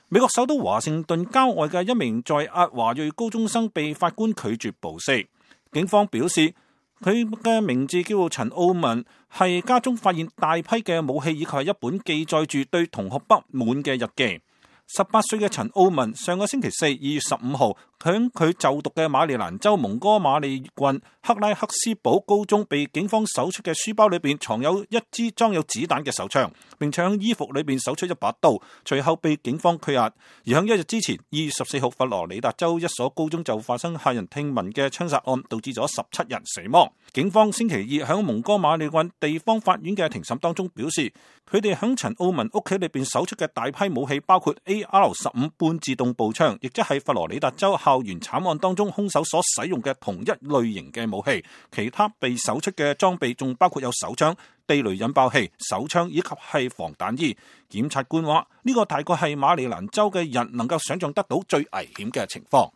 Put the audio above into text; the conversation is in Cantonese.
美國首都華盛頓郊外嘅一名在押華裔高中生被法官拒絕保釋。警方表示，佢嘅名字叫做陳奧文，係家中發現大批嘅武器以及係一本記載住對同學不滿嘅日記。18歲嘅陳奧文上個星期四2月15號響佢就讀嘅馬里蘭州蒙哥馬利郡克拉克斯堡高中被警方搜出嘅書包裏邊藏有一支裝有子彈嘅手槍，並且喺衣服裏邊搜出一把刀，隨後被警方拘押。而響1日之前2月14號，佛羅里達州一所高中就發生駭人聽聞嘅槍殺案，導致咗17人死亡。警方星期二響蒙哥馬利郡地方法院嘅庭審當中表示，佢哋響陳奧文屋企裏邊搜出嘅大批武器包括 AR-15 半自動步槍，亦即係佛羅里達州校園慘案當中兇手所使用嘅同一類型嘅武器。其他被搜出嘅裝備仲包括有手槍、地雷引爆器、手槍以及係防彈衣。檢察官話呢個大概係馬里蘭州嘅人能夠想象得到最危險嘅情況。